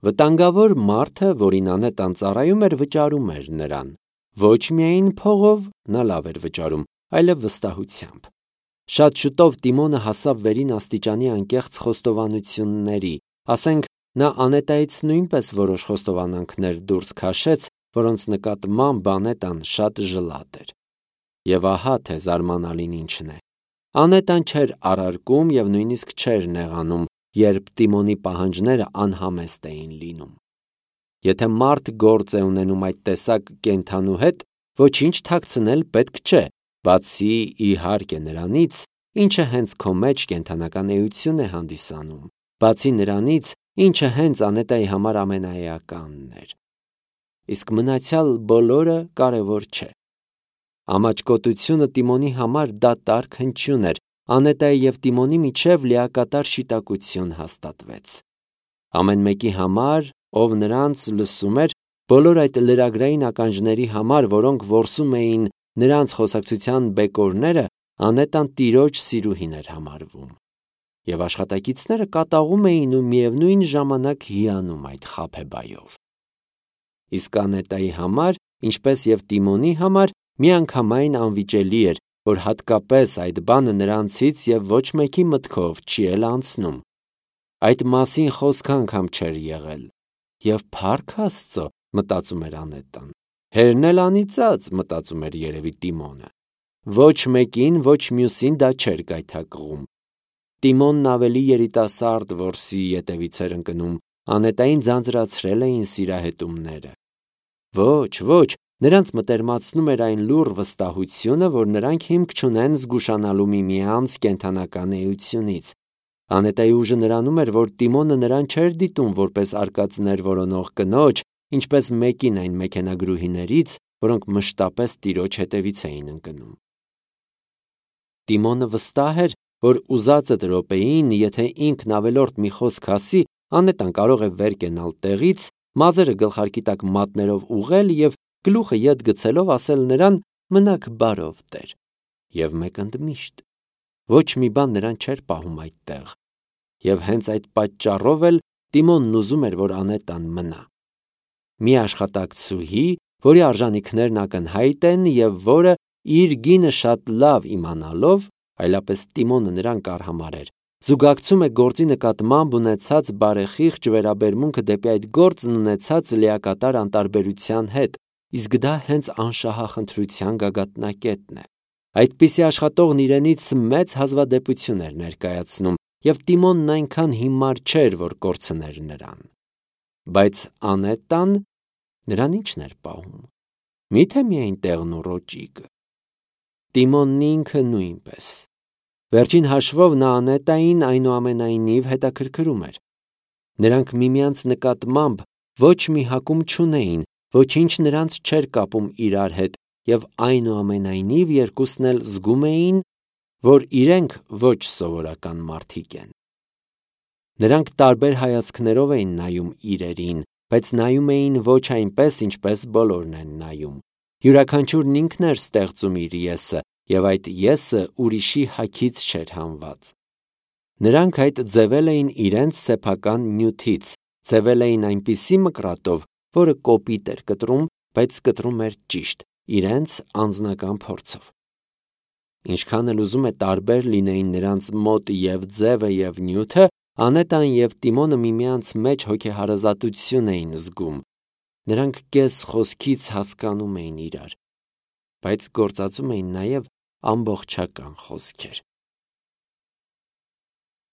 Վտանգավոր մարդը, որին Անետան ծառայում էր, վճարում էր նրան։ Ոչ միայն փողով նա լավ էր վճարում, այլև վստահությամբ։ Շատ շուտով Տիմոնը հասավ վերին աստիճանի անկեղծ խոստովանությունների, ասենք նա Անետայից նույնպես որոշ խոստովանանքներ դուրս քաշեց, որոնց նկատմամբ Անետան շատ ժլատ էր։ Եվ ահա թե զարմանալին ինչն է։ Անետան չէր առարկում և նույնիսկ չէր նեղանում, երբ Տիմոնի պահանջները անհամեստ էին լինում։ Եթե մարդ գործ է ունենում այդ տեսակ կենդանու հետ, ոչինչ թաքցնել պետք չէ, բացի իհարկե նրանից, ինչը հենց քո մեջ կենդանական էություն է հանդիսանում, բացի նրանից, ինչը հենց Անետայի համար ամենաէականն էր։ Իսկ մնացյալ բոլորը կարևոր չէ։ Ամաչկոտությունը Տիմոնի համար դատարկ հնչյուն էր, Անետայի և Տիմոնի միջև լիակատար շիտակություն հաստատվեց։ Ամեն մեկի համար, ով նրանց լսում էր, բոլոր այդ լրագրային ականջների համար, որոնք որսում էին նրանց խոսակցության բեկորները, Անետան տիրոջ սիրուհին էր համարվում։ Եվ աշխատակիցները կատաղում էին ու միևնույն ժամանակ հիանում այդ խաբեբայով։ Իսկ Անետայի համար, ինչպես և Տիմոնի համար, միանգամայն անվիճելի էր, որ հատկապես այդ բանը նրանցից և ոչ մեկի մտքով չի էլ անցնում։ Այդ մասին խոսք անգամ չէր եղել։ Եվ փառք Աստծո, մտածում էր Անետան։ Հերն էլ անիծած, մտածում էր երևի Տիմոնը։ Ոչ մեկին, ոչ մյուսին դա չէր գայթակղում։ Տիմոնն ավելի երիտասարդ որսի ետևից էր ընկնում, Անետային ձանձրացրել էին սիրահետումները։ Ոչ, նրանց մտերմացնում էր այն լուռ վստահությունը, որ նրանք հիմք չունեն զգուշանալու միմյանց կենդանական էությունից։ Անետայի ուժը նրանում էր, որ Տիմոնը նրան չէր դիտում որպես արկածներ որոնող կնոջ, ինչպես մեկին այն մեքենագրուհիներից, որոնք մշտապես տիրոջ հետևից էին ընկնում։ Տիմոնը վստահ էր, որ ուզածդ րոպեին, եթե ինքն ավելորդ մի խոսք ասի, Անետան կարող է վեր կենալ տեղից, մազերը գլխարկի տակ մատներով ուղղել և գլուխը ետ գցելով ասել նրան «մնաք բարով, տեր»։ Եվ մեկ ընդմիշտ։ Ոչ մի բան նրան չէր պահում այդտեղ։ Եվ հենց այդ պատճառով էլ Տիմոնն ուզում էր, որ Անետան մնա։ Մի աշխատակցուհի, որի արժանիքներն ակնհայտ են և որը իր գինը շատ լավ իմանալով, այլապես Տիմոնը նրան կարհամարեր, զուգակցում է գործի նկատմամբ ունեցած բարեխիղճ վերաբերմունքը դեպի այդ գործն ունեցած լիակատար անտարբերության հետ, իսկ դա հենց անշահախնդրության գագաթնակետն է։ Այդպիսի աշխատողն իրենից մեծ հազվադեպություն էր ներկայացնում, և Տիմոնն այնքան հիմար չէր, որ կորցներ նրան։ Բայց Անետան նրան ի՞նչն էր պահում։ Մի՞թե միայն տեղն ու ռոճիկը։ Տիմոնն ինքը նույնպես։ Վերջին հաշվով նա Անետային այնուամենայնիվ հետաքրքրում էր։ Նրանք միմյանց նկատմամբ ոչ մի հակում չունեին, ոչինչ նրանց չէր կապում իրար հետ, և այնուամենայնիվ երկուսն էլ զգում էին, որ իրենք ոչ սովորական մարդիկ են։ Նրանք տարբեր հայացքներով էին նայում իրերին, բայց նայում էին ոչ այնպես, ինչպես բոլորն են նայում։ Յուրաքանչյուրն ինքն էր ստեղծում իր եսը, և այդ եսը ուրիշի հագից չէր հանված։ Նրանք այդ ձևել էին իրենց սեփական նյութից, ձևել էին այնպիսի մկրատով, որը կոպիտ էր կտրում, բայց կտրում էր ճիշտ, իրենց անձնական փորձով։ Ինչքան էլ ուզում է տարբեր լինեին նրանց մոտ և ձևը և նյութը, Անետան և Տիմոնը միմյանց մեջ հոգեհարազատություն էին զգում։ Նրանք կես խոսքից հասկանում էին իրար, բայց գործածում էին նաև ամբողջական խոսքեր։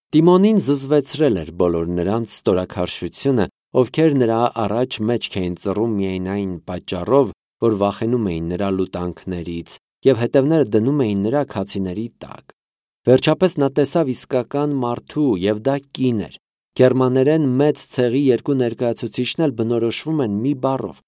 Տիմոնին զզվեցրել էր բոլոր նրանց ստորաքարշությունը, ովքեր նրա առաջ մեջք էին ծռում միայն այն պատճառով, որ վախենում էին նրա լուտանքներից և հետևները դնում էին նրա քացիների տակ։ Վերջապես նա տեսավ իսկական մարդու, և դա կին էր։ Գերմաներեն մեծ ցեղի երկու ներկայացուցիչն էլ բնորոշվում են մի բառով։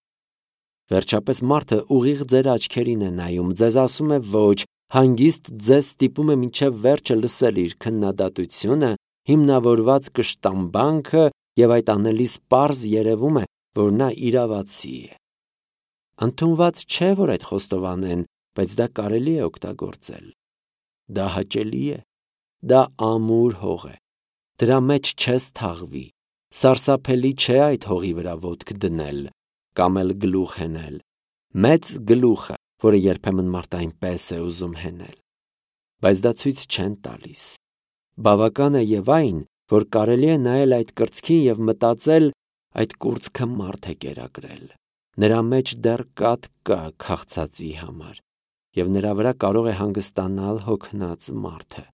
Վերջապես մարդը ուղիղ ձեր աչքերին է նայում, ձեզ ասում է ոչ, հանգիստ ձեզ ստիպում է մինչև վերջը լսել իր քննադատությունը, հիմնավորված կշտամբանքը, և այդ անելիս պարզ երևում է, որ նա իրավացի է։ Ընդունված չէ, որ այդ խոստովանեն, բայց դա կարելի է օգտագործել։ Դա հաճելի է, դա ամուր հող է, դրա մեջ չես թաղվի, Սարսափելի չէ այդ հողի վրա ոտք դնել կամ էլ գլուխ հենել, մեծ գլուխը, որը երբեմն մարդը այնպես է ուզում հենել, բայց դա ցույց չեն տալիս։ Բավական է եւ այն, որ կարելի է նայել այդ կրծքին եւ մտածել, այդ կուրծքը մարդ է կերակրել, նրա մեջ դեռ կաթ կա քաղցածի համար, եւ նրա վրա կարող է հանգստանալ հոգնած մարդը։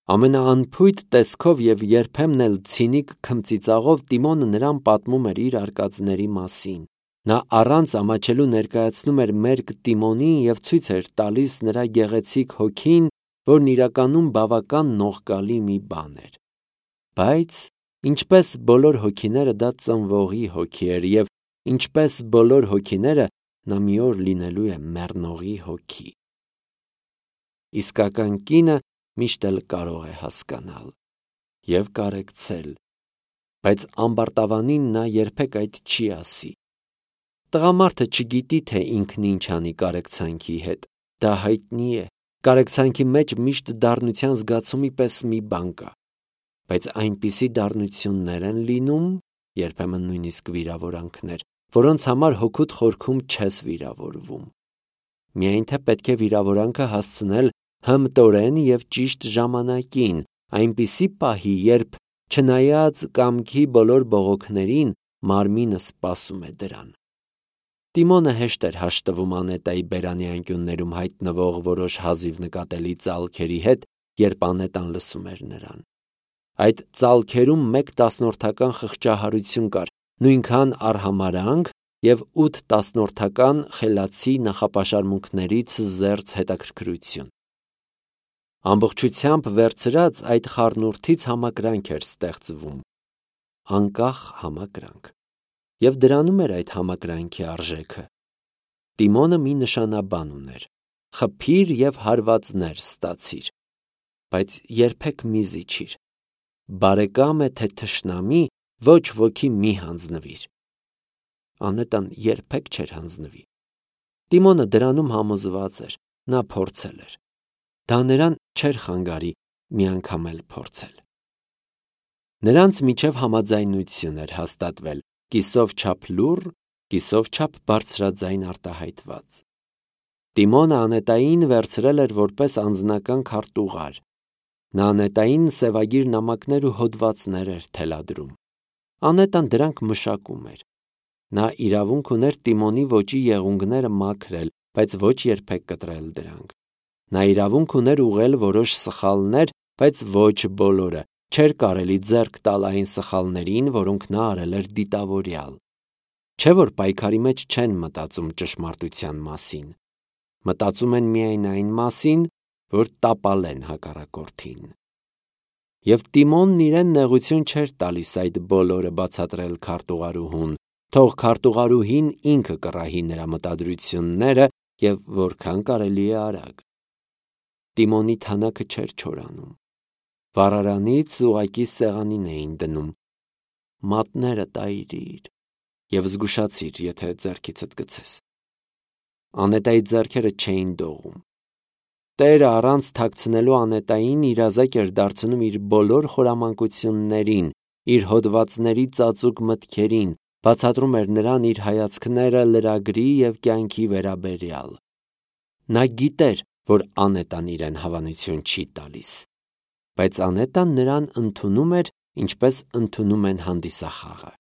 Ամենաանփույթ տեսքով եւ երբեմն էլ ցինիկ քմծիծաղով Տիմոնը նրան պատմում էր իր արկածների մասին։ Նա առանց ամաչելու ներկայացնում էր մերկ Տիմոնին եւ ցույց էր տալիս նրա գեղեցիկ հոգին, որն իրականում բավական նողկալի մի բան էր։ Բայց ինչպես բոլոր հոգիները դա ծնվողի հոգի էր եւ ինչպես բոլոր հոգիները նա մի օր լինելու է մեռնողի հոգի։ Իսկական կինը միշտ էլ կարող է հասկանալ եւ կարեկցել, բայց ամբարտավանին նա երբեք այդ չի ասի։ Տղամարդը չգիտի, թե ինքն ինչ անի կարեկցանքի հետ, դա հայտնի է, կարեկցանքի մեջ միշտ դառնության զգացումի պես մի բան կա, բայց այնպիսի դառնություններ են լինում, երբեմն նույնիսկ վիրավորանքներ, որոնց համար հոգուտ խորքում չես վիրավորվում։ Միայն թե պետք է վիրավորանքը հասցնել հմտորեն եւ ճիշտ ժամանակին, այնպիսի պահի, երբ չնայած կամքի բոլոր բողոքներին մարմինը սպասում է դրան։ Տիմոնը հեշտ էր հաշտվում Անետայի բերանի անկյուններում հայտնվող որոշ հազիվ նկատելի ծալքերի հետ, երբ Անետան լսում էր նրան։ Այդ ծալքերում 1/10 խղճահարություն կար, նույնքան արհամարանք եւ 8/10 խելացի նախապաշարմունքներից զերծ հետաքրքրություն։ Ամբողջությամբ վերցրած այդ խառնուրդից համակրանք էր ստեղծվում, անկախ համակրանք, եւ դրանում էր այդ համակրանքի արժեքը։ Տիմոնը մի նշանաբան ուներ. խփիր եւ հարվածներ ստացիր, բայց երբեք մի զիջիր։ Բարեկամ է թե թշնամի, ոչ ոքի մի հանձնվիր։ Անետան երբեք չէր հանձնվի։ Տիմոնը դրանում համոզված էր, նա փորձել էր։ Դա նրան չէր խանգարի մի անգամ էլ փորձել։ Նրանց միջև համաձայնություն էր հաստատվել, կիսով չափ լուռ, կիսով չափ բարձրաձայն արտահայտված։ Տիմոնը Անետային վերցրել էր որպես անձնական քարտուղար։ Նա Անետային սևագիր նամակներ ու հոդվածներ էր թելադրում։ Անետան դրանք մշակում էր։ Նա իրավունք ուներ Տիմոնի ոճի եղունգները մաքրել, բայց ոչ երբեք կտրել դրանք։ Նա իրավունք ուներ ուղղել որոշ սխալներ, բայց ոչ բոլորը, չէր կարելի ձեռք տալ այն սխալներին, որոնք նա արել էր դիտավորյալ։ Չէ՞ որ պայքարի մեջ չեն մտածում ճշմարտության մասին։ Մտածում են միայն այն մասին, որ տապալեն հակառակորդին։ Եվ Տիմոնն իրեն նեղություն չէր տալիս այդ բոլորը բացատրել քարտուղարուհուն, թող քարտուղարուհին ինքը կռահի նրա մտադրությունները եւ որքան կարելի է արագ։ Տիմոնի թանակը չէր չորանում։ Վառարանից ուղակի սեղանին էին դնում։ Մատները տայրիր եւ զգուշացիր, եթե ձեռքիցդ գցես։ Անետայի ձեռքերը չէին դողում։ Տերը առանց թաքցնելու Անետային իրազեկ էր դարձնում իր բոլոր խորամանկություններին, իր հոդվածների ծածուկ մտքերին, բացատրում էր նրան իր հայացքները լրագրի եւ կյանքի վերաբերյալ։ Նա գիտեր, որ Անետան իրեն հավանություն չի տալիս, բայց Անետան նրան ընդունում էր, ինչպես ընդունում են հանդիսախաղը։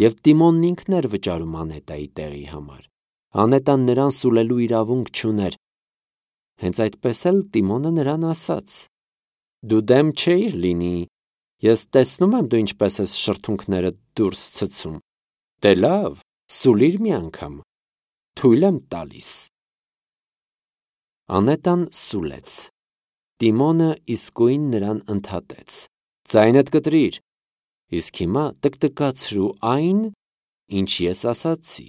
Եվ Տիմոնն ինքն էր վճարում Անետայի տեղի համար։ Անետան նրան սուլելու իրավունք չուներ։ Հենց այդպես էլ Տիմոնը նրան ասաց. «Դու դեմ չէիր լինի, ես տեսնում եմ դու ինչպես ես շրթունքներդ դուրս ցցում։ Դե լավ, սուլիր մի անգամ, թույլ եմ տալիս»։ Անետան սուլեց։ Տիմոնը իսկույն նրան ընդհատեց. «Ձայնդ կտրիր, իսկ հիմա տկտկացրու այն, ինչ ես ասացի»։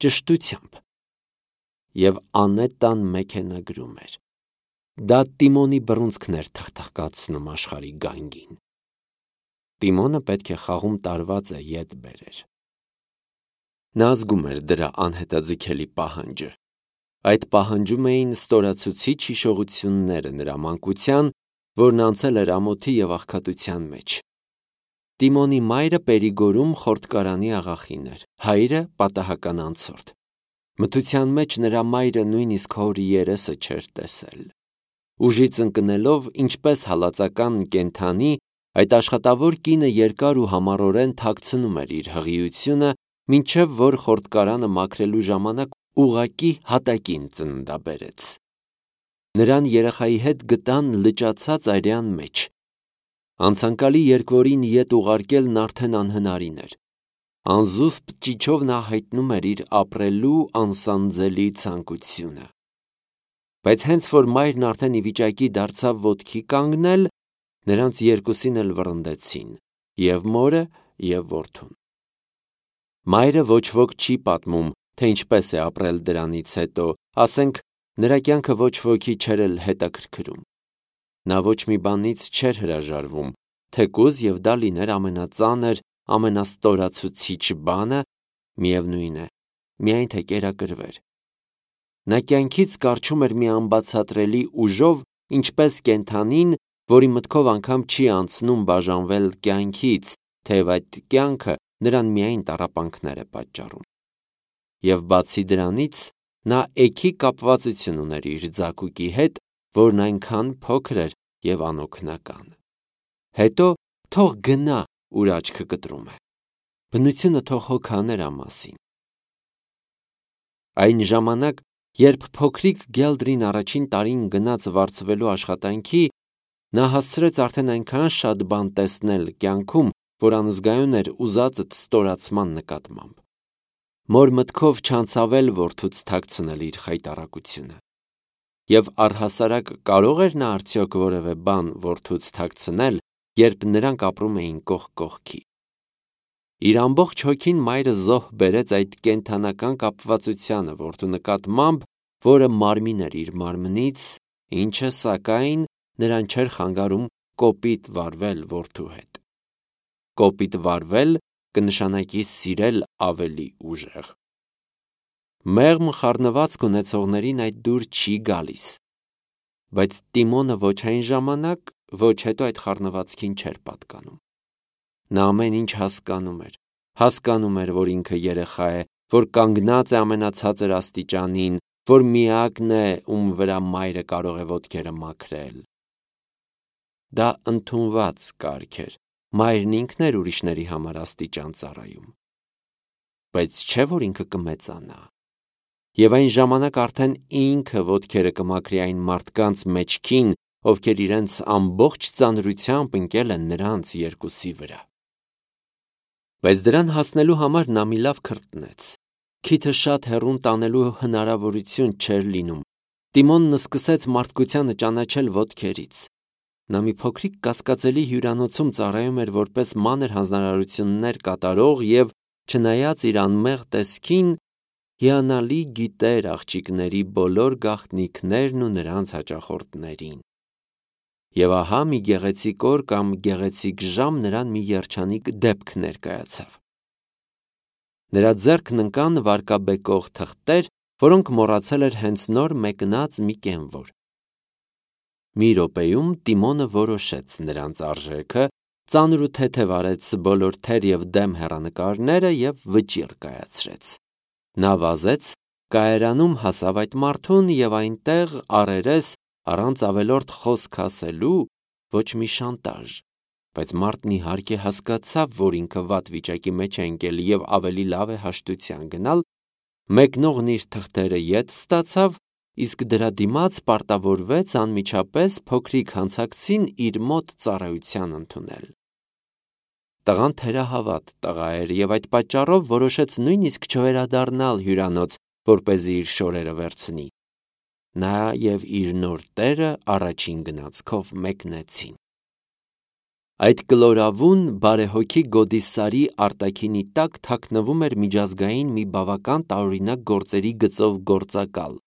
Ճշտությամբ։ Եվ Անետան մեքենագրում էր։ Դա Տիմոնի բռունցքն էր թխթխկացնում աշխարհի գանգին։ Տիմոնը պետք է խաղում տարված է ետ բերեր։ Նա զգում էր դրա անհետաձգելի պահանջը։ Այդ պահանջում էին ստորացուցիչ հիշողությունները նրա մանկության, որն անցել էր ամոթի եւ աղքատության մեջ։ Տիմոնի մայրը Պերիգորում խորտկարանի աղախին էր, հայրը պատահական անցորդ։ Մթության մեջ նրա մայրը նույնիսկ հոր երեսը չէր տեսել։ Ուժից ընկնելով, ինչպես հալածական կենդանի, այդ աշխատավոր կինը երկար ու համառորեն թաքցնում էր իր հղիությունը, մինչև որ խորտկարանը մաքրելու ժամանակ ուղղակի հատակին ծննդաբերեց։ Նրան երեխայի հետ գտան լճացած այրյան մեջ։ Անցանկալի երկվորին ետ ուղարկելն արդեն անհնարին էր։ Անզուսպ ճիչով նա հայտնում էր իր ապրելու անսանձելի ցանկությունը։ Բայց հենց որ մայրն արդեն ի վիճակի դարձավ ոտքի կանգնել, նրանց երկուսին էլ վռնդեցին, և մորը, և որդուն։ Մայրը ոչ ոք չի պատմում, թե ինչպես է ապրել դրանից հետո, ասենք, նրա կյանքը ոչ ոքի չէր էլ հետաքրքրում։ Նա ոչ մի բանից չէր հրաժարվում, թեկուզ և դա լիներ ամենածանր, ամենաստորացուցիչ բանը, միևնույն է, միայն թե կերակրվեր։ Նա կյանքից կառչում էր մի անբացատրելի ուժով, ինչպես կենդանին, որի մտքով անգամ չի անցնում բաժանվել կյանքից, թեև այդ կյանքը նրան միայն տառապանքներ է պատճառում։ Եվ բացի դրանից, նա էգի կապվածություն ուներ իր ձագուկի հետ, որն այնքան փոքր էր և անօգնական։ Հետո թող գնա, ուր աչքը կտրում է։ Բնությունը թող հոգա նրա մասին։ Այն ժամանակ, երբ փոքրիկ Գելդրին առաջին տարին գնաց վարձվելու աշխատանքի, նա հասցրեց արդեն այնքան շատ բան տեսնել կյանքում, որ անզգայուն էր ուզածդ ստորացման նկատմամբ։ Մոր մտքով չանցավել որդուց թաքցնել իր խայտառակությունը։ Եվ առհասարակ կարող էր նա արդյոք որևէ բան որդուց թաքցնել, երբ նրանք ապրում էին կողք կողքի։ Իր ամբողջ հոգին մայրը զոհ բերեց այդ կենդանական կապվածությանը որդու նկատմամբ, որը մարմին էր իր մարմնից, ինչը, սակայն, նրան չէր խանգարում կոպիտ վարվել որդու հետ։ Կոպիտ վարվել կնշանակի սիրել ավելի ուժեղ։ Մեղմ խառնվածք ունեցողներին այդ դուր չի գալիս, բայց Տիմոնը ոչ այն ժամանակ, ոչ հետո այդ խառնվածքին չէր պատկանում։ Նա ամեն ինչ հասկանում էր, որ ինքը երեխա է, որ կանգնած է ամենացածր աստիճանին, որ միակն է, ում վրա մայրը կարող է ոտքերը մաքրել։ Դա ընդունված կարգ էր, մայրն ինքն էր ուրիշների համար աստիճան ծառայում։ Բայց չէ՞ որ ինքը կմեծանա։ Եվ այն ժամանակ արդեն ինքը ոտքերը կմաքրի այն մարդկանց մեջքին, ովքեր իրենց ամբողջ ծանրությամբ ընկել են նրանց երկուսի վրա։ Բայց դրան հասնելու համար նա մի լավ քրտնեց։ Քիթը շատ հեռուն տանելու հնարավորություն չէր լինում։ Տիմոնն սկսեց մարդկությանը ճանաչել ոտքերից։ Նա մի փոքրիկ կասկածելի հյուրանոցում ծառայում էր որպես մանր հանձնարարություններ կատարող և, չնայած իր անմեղ տեսքին, հիանալի գիտեր աղջիկների բոլոր գաղտնիքներն ու նրանց հաճախորդներին։ Եվ ահա մի գեղեցիկ օր կամ գեղեցիկ ժամ նրան մի երջանիկ դեպք ներկայացավ։ Նրա ձեռքն ընկան վարկաբեկող թղթեր, որոնք մոռացել էր հենց նոր մեկնած մի կենվոր։ Մի րոպեում Տիմոնը որոշեց նրանց արժեքը, ծանր ու թեթև արեց բոլոր թեր և դեմ հեռանկարները և վճիռ կայացրեց։ Նա վազեց, կայարանում հասավ այդ մարդուն և այնտեղ առերես, առանց ավելորդ խոսք ասելու, ոչ մի շանտաժ, բայց մարդն իհարկե հասկացավ, որ ինքը վատ վիճակի մեջ է ընկել և ավելի լավ է հաշտության գնալ, մեկնողն իր թղթերը ետ ստացավ, իսկ դրա դիմաց պարտավորվեց անմիջապես փոքրիկ հանցակցին իր մոտ ծառայության ընդունել։ Տղան թերահավատ տղա էր և այդ պատճառով որոշեց նույնիսկ չվերադառնալ հյուրանոց, որպեսզի իր շորերը վերցնի։ Նա և իր նոր տերը առաջին գնացքով մեկնեցին։ Այդ կլորավուն, բարեհոգի գոդի սարի արտաքինի տակ թաքնվում էր միջազգային մի բավական տարօրինակ գործերի գծով գործակալ։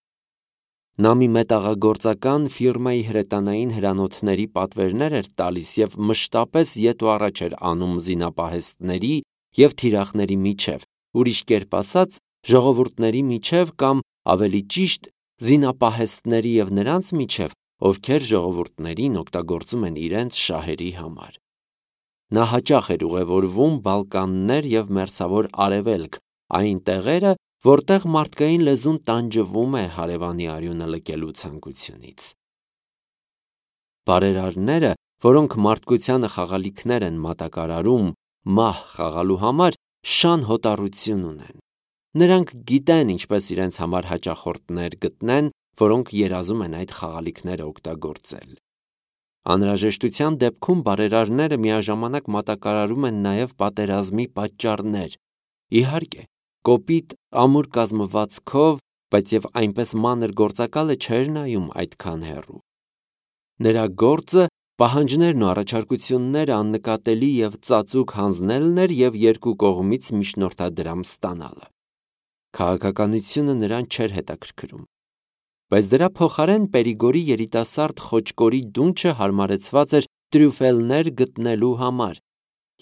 Նա մի մետաղագործական ֆիրմայի հրետանային հրանոթների պատվերներ էր տալիս և մշտապես ետ ու առաջ էր անում զինապահեստների և թիրախների միջև, ուրիշ կերպ ասած, ժողովուրդների միջև կամ, ավելի ճիշտ, զինապահեստների և նրանց միջև, ովքեր ժողովուրդներին օգտագործում են իրենց շահերի համար։ Նա հաճախ էր ուղևորվում Բալկաններ և Մերձավոր Արևելք, այն տեղերը, որտեղ մարդկային լեզուն տանջվում է հարևանի արյունը լքելու ցանկությունից։ Բարերարները, որոնք մարդկությանը խաղալիքներ են մատակարարում մահ խաղալու համար, շան հոտառություն ունեն։ Նրանք գիտեն ինչպես իրենց համար հաճախորդներ գտնեն, որոնք երազում են այդ խաղալիքները օգտագործել։ Անհրաժեշտության դեպքում բարերարները միաժամանակ մատակարարում են նաև պատերազմի պատճառներ։ Իհարկե, կոպիտ ամուր կազմվածքով, բայց և այնպես մանր գործակալը չէր նայում այդքան հեռու։ Նրա գործը պահանջներն ու առաջարկությունները աննկատելի և ծածուկ հանձնելն էր և երկու կողմից միջնորդադրամ ստանալը։ Քաղաքականությունը նրան չէր հետաքրքրում, բայց դրա փոխարեն Պերիգորի երիտասարդ խոճկորի դունչը հարմարեցված էր տրյուֆելներ գտնելու համար,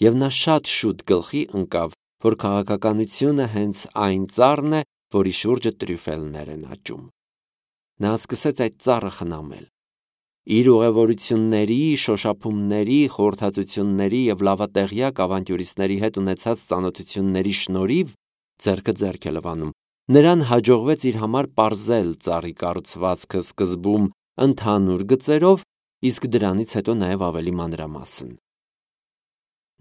և նա շատ շուտ գլխի ընկավ, որ քաղաքականությունը հենց այն ծառն է, որի շուրջը տրյուֆելներ են աճում։ Նա սկսեց այդ ծառը խնամել։ Իր ուղևորությունների, շոշափումների, խորհրդածությունների և լավատեղյակ ավանտյուրիստների հետ ունեցած ծանոթությունների շնորհիվ ձեռքը ձեռք է լվանում։ Նրան հաջողվեց իր համար պարզել ծառի կառուցվածքը սկզբում ընդհանուր գծերով, իսկ դրանից հետո նաև ավելի մանրամասն։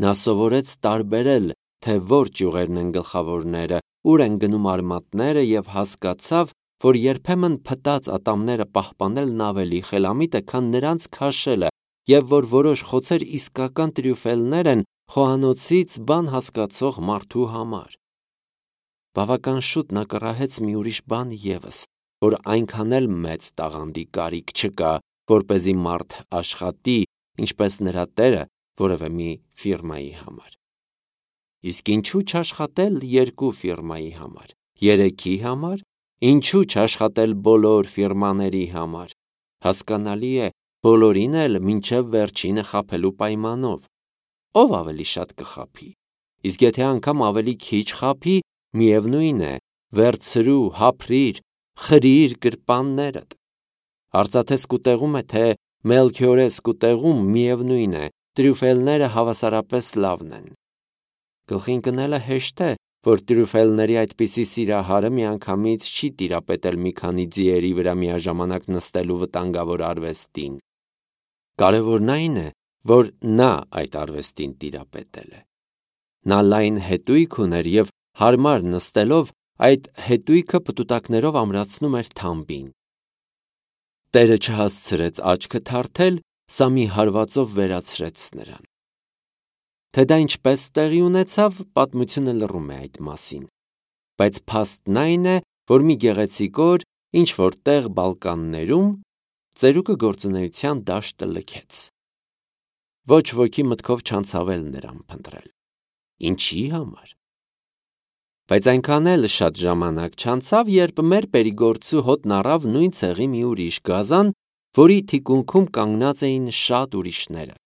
Նա սովորեց տարբերել, թե որ ճյուղերն են գլխավորները, ուր են գնում արմատները և հասկացավ, որ երբեմն փտած ատամները պահպանելն ավելի խելամիտ է, քան նրանց քաշելը, և որ որոշ խոցեր իսկական տրյուֆելներ են խոհանոցից բան հասկացող մարդու համար։ Բավական շուտ նա կռահեց մի ուրիշ բան ևս, որ այնքան էլ մեծ տաղանդի կարիք չկա, որպեսզի մարդ աշխատի, ինչպես նրա տերը, որևէ մի ֆիրմայի համար։ Իսկ ինչու չաշխատել երկու ֆիրմայի համար, երեքի համար, ինչու չաշխատել բոլոր ֆիրմաների համար։ Հասկանալի է, բոլորին էլ մինչև վերջինը խաբելու պայմանով։ Ով ավելի շատ կխաբի։ Իսկ եթե անգամ ավելի քիչ խաբի, միևնույն է, վերցրու, հափրիր, խրիր գրպաններդ։ Արծաթե սկուտեղում է, թե Մելքիորե սկուտեղում, միևնույն է, տրյուֆելները հավասարապես լավն են։ Գլխի ընկնելը հեշտ է, որ տրյուֆելների այդպիսի սիրահարը միանգամից չի տիրապետել մի քանի ձիերի վրա միաժամանակ նստելու վտանգավոր արվեստին։ Կարևորն այն է, որ նա այդ արվեստին տիրապետել է։ Նա լայն հետույք ուներ և հարմար նստելով այդ հետույքը պտուտակներով ամրացնում էր թամբին։ Տերը չհասցրեց աչքը թարթել, սա մի հարվածով վերացրեց նրան։ Թե դա ինչպես տեղի ունեցավ, պատմությունը լռում է այդ մասին, բայց փաստն այն է, որ մի գեղեցիկ օր ինչ-որ տեղ Բալկաններում ծերուկը գործունեության դաշտը լքեց։ Ոչ ոքի մտքով չանցավել նրան փնտրել։ Ինչի համար։ Բայց այնքան էլ շատ ժամանակ չանցավ, երբ մեր Պերիգորցու հոտն առավ նույն ցեղի մի ուրիշ գազան, որի թիկունքում կանգնած էին շատ ուրիշները։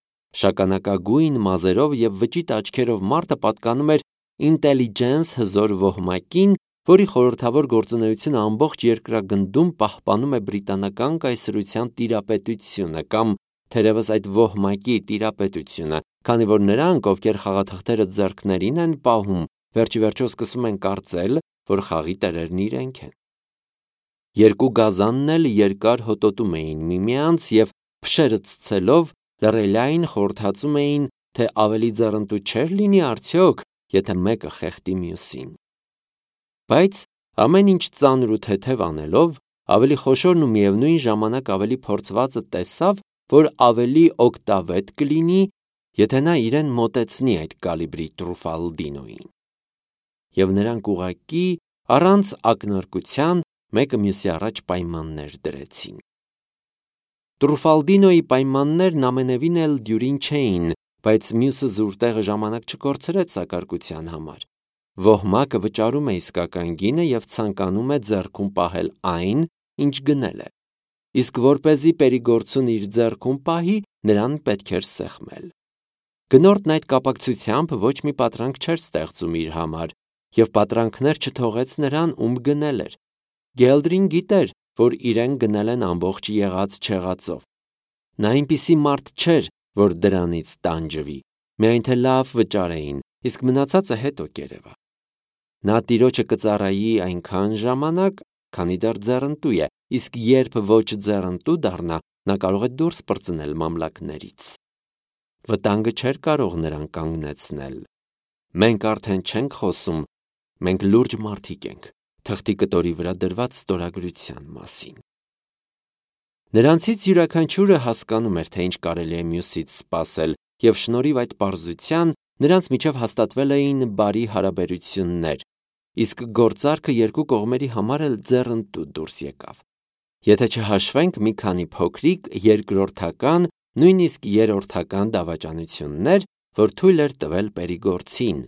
Շագանակագույն մազերով և վճիտ աչքերով մարդը պատկանում էր ինտելիջենս հզոր ոհմակին, որի խորհրդավոր գործունեությունը ամբողջ երկրագնդում պահպանում է բրիտանական կայսրության տիրապետությունը կամ թերևս այդ ոհմակի տիրապետությունը, քանի որ նրանք, ովքեր խաղաթղթերը ձեռքներին են պահում, վերջիվերջո սկսում են կարծել, որ խաղի տերերն իրենք են։ Երկու գազանն էլ երկար հոտոտում էին միմյանց և փշերը ցցելով լռելային խորհրդածում էին, թե ավելի ձեռնտու չէր լինի արդյոք, եթե մեկը խեղդի մյուսին։ Բայց ամեն ինչ ծանր ու թեթև անելով, ավելի խոշորն ու միևնույն ժամանակ ավելի փորձվածը տեսավ, որ ավելի օգտավետ կլինի, եթե նա իրեն մոտեցնի այդ կալիբրի Տրուֆալդինոյին։ Եվ նրանք ուղղակի առանց ակնարկության մեկը մյուսի առաջ պայմաններ դրեցին։ Տրուֆալդինոյի պայմաններն ամենևին էլ դյուրին չէին, բայց մյուսը զուր տեղը ժամանակ չկորցրեց սակարկության համար։ Ոհմակը վճարում է իսկական գինը և ցանկանում է ձեռքում պահել այն, ինչ գնել է։ Իսկ որպեսզի Պերիգորցուն իր ձեռքում պահի, նրան պետք էր սեղմել։ Գնորդն այդ կապակցությամբ ոչ մի պատրանք չէր ստեղծում իր համար, և պատրանքներ չթողեց նրան, ում գնել էր։ Գելդրին գիտեր, որ իրեն գնել են ամբողջ եղած չեղածով։ Նա այնպիսի մարդ չէր, որ դրանից տանջվի։ միայն թե լավ վճարեին, իսկ մնացածը հետո կերևա։ Նա տիրոջը կծառայի այնքան ժամանակ, քանի դեռ ձեռնտու է, իսկ երբ ոչ ձեռնտու դառնա, նա կարող է դուրս պրծնել մամլակներից։ Վտանգը չէր կարող նրան կանգնեցնել։ Մենք արդեն չենք խոսում, մենք լուրջ մարդիկ ենք, թղթի կտորի վրա դրված ստորագրության մասին։ Նրանցից յուրաքանչյուրը հասկանում էր, թե ինչ կարելի է մյուսից սպասել, և շնորհիվ այդ պարզության նրանց միջև հաստատվել էին բարի հարաբերություններ, իսկ գործարքը երկու կողմերի համար էլ ձեռնտու դուրս եկավ։ Եթե չհաշվենք մի քանի փոքրիկ երկրորդական, նույնիսկ երրորդական դավաճանություններ, որ թույլ էր տվել Պերիգորցին։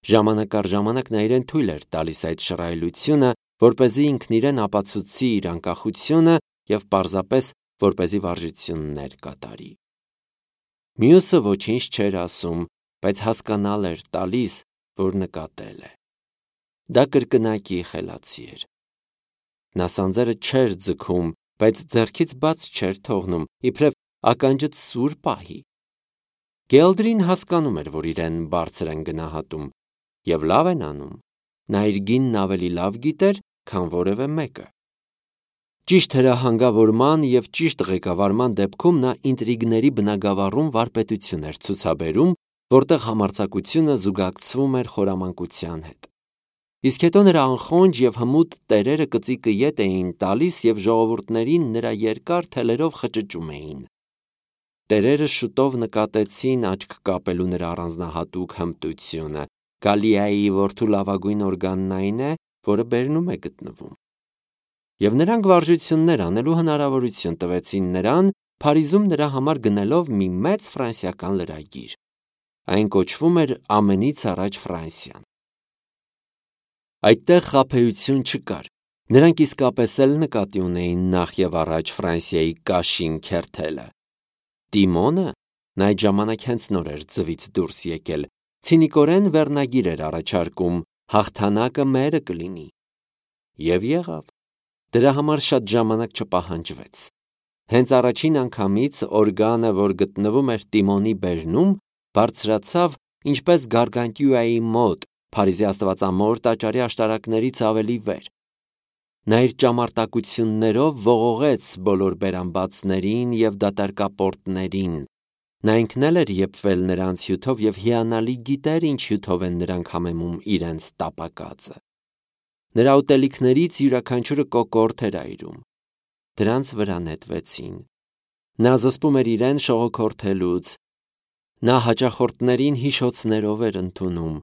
Ժամանակ առ ժամանակ նա իրեն թույլ էր տալիս այդ շռայլությունը, որպեսզի ինքն իրեն ապացուցի իր անկախությունը և պարզապես որպեսզի վարժություններ կատարի։ Մյուսը ոչինչ չէր ասում, բայց հասկանալ էր տալիս, որ նկատել է։ Դա կրկնակի խելացի էր։ Նա սանձերը չէր ձգում, բայց ձեռքից բաց չէր թողնում, իբրև ականջը սուր պահի։ Գելդրին հասկանում էր, որ իրեն բարձր են գնահատում, և լավ են անում։ Նա իր գինն ավելի լավ գիտեր, քան որևէ մեկը։ Ճիշտ հրահանգավորման և ճիշտ ղեկավարման դեպքում նա ինտրիգների բնագավառում վարպետություն էր ցուցաբերում, որտեղ համարձակությունը զուգակցվում էր խորամանկության հետ։ Իսկ հետո նրա անխոնջ և հմուտ տերերը կծիկը ետ էին տալիս և ժողովուրդներին նրա երկար թելերով խճճում էին։ Տերերը շուտով նկատեցին աչք կապելու նրա առանձնահատուկ հմտությունը։ Գալիայի որդու լավագույն օրգանն այն է, որը բերնում է գտնվում։ Եվ նրանք վարժություններ անելու հնարավորություն տվեցին նրան, Փարիզում նրա համար գնելով մի մեծ ֆրանսիական լրագիր։ Այն կոչվում էր «Ամենից առաջ Ֆրանսիան»։ Այդտեղ խաբեություն չկար։ Նրանք իսկապես էլ նկատի ունեին նախ և առաջ Ֆրանսիայի կաշին քերթելը։ Տիմոնը, նա այդ ժամանակ հենց նոր էր ձվից դուրս եկել, ցինիկորեն վերնագիր էր առաջարկում. «Հաղթանակը մերը կլինի»։ Եվ եղավ։ Դրա համար շատ ժամանակ չպահանջվեց։ Հենց առաջին անգամից օրգանը, որ գտնվում էր Տիմոնի բերնում, բարձրացավ ինչպես Գարգանտյուայի մոտ, Փարիզի Աստվածամոր տաճարի աշտարակներից ավելի վեր։ Նա իր ճամարտակություններով ողողեց բոլոր բերանբացներին և դատարկապորտներին։ Նա ինքն էլ էր եփվել նրանց հյութով և հիանալի գիտեր ինչ հյութով են նրանք համեմում իրենց տապակածը։ Նրա ուտելիքներից յուրաքանչյուրը կոկորդ էր այրում։ Դրանց վրա նետվեցին։ Նա զսպում էր իրեն շողոքորթելուց։ Նա հաճախորդներին հիշոցներով էր ընդունում։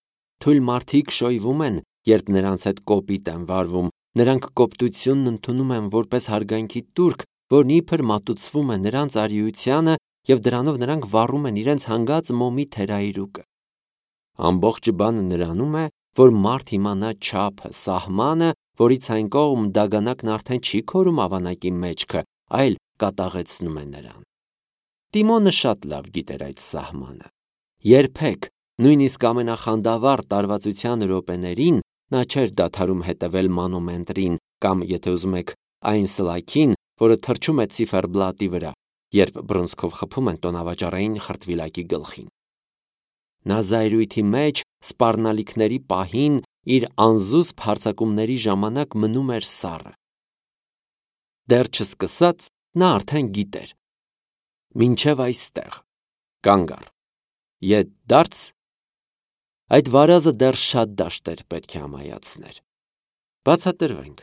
Թույլ մարդիկ շոյվում են, երբ նրանց հետ կոպիտ են վարվում, նրանք կոպտությունն ընդունում են որպես հարգանքի տուրք, որն իբր մատուցվում է նրանց արիությանը, և դրանով նրանք վառում են իրենց հանգած մոմի թերայրուկը։ Ամբողջ բանը նրանում է, որ մարդ իմանա չափը, սահմանը, որից այն կողմ դագանակն արդեն չի քորում ավանակի մեջքը, այլ կատաղեցնում է նրան։ Տիմոնը շատ լավ գիտեր այդ սահմանը։ Երբեք, նույնիսկ ամենախանդավառ տարվածության րոպեներին, նա չէր դադարում հետևել մանոմետրին կամ, եթե ուզում եք, այն սլաքին, որը թռչում է ցիֆերբլատի վրա, երբ բռունցքով խփում են տոնավաճառային խրտվիլակի գլխին։ Նա զայրույթի մեջ սպառնալիքների պահին իր անզուսպ հարձակումների ժամանակ մնում էր սառը։ Դեռ չսկսած նա արդեն գիտեր. մինչև այստեղ, կանգ առ, ետ դարձ, այդ վարազը դեռ շատ դաշտեր պետք է ամայացներ։ Բացատրվենք.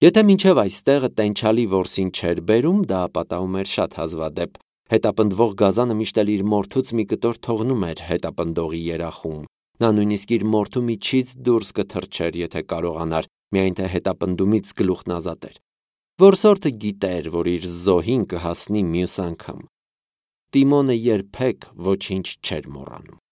եթե մինչև այստեղը տենչալի որսին չէր բերում, դա պատահում էր շատ հազվադեպ, հետապնդվող գազանը միշտ էլ իր մորթուց մի կտոր թողնում էր հետապնդողի երախում։ Նա նույնիսկ իր մորթու միջից դուրս կթռչեր, եթե կարողանար, միայն թե հետապնդումից գլուխն ազատեր։ Որսորդը գիտեր, որ իր զոհին կհասնի մյուս անգամ։ Տիմոնը երբեք ոչինչ չէր մոռանում։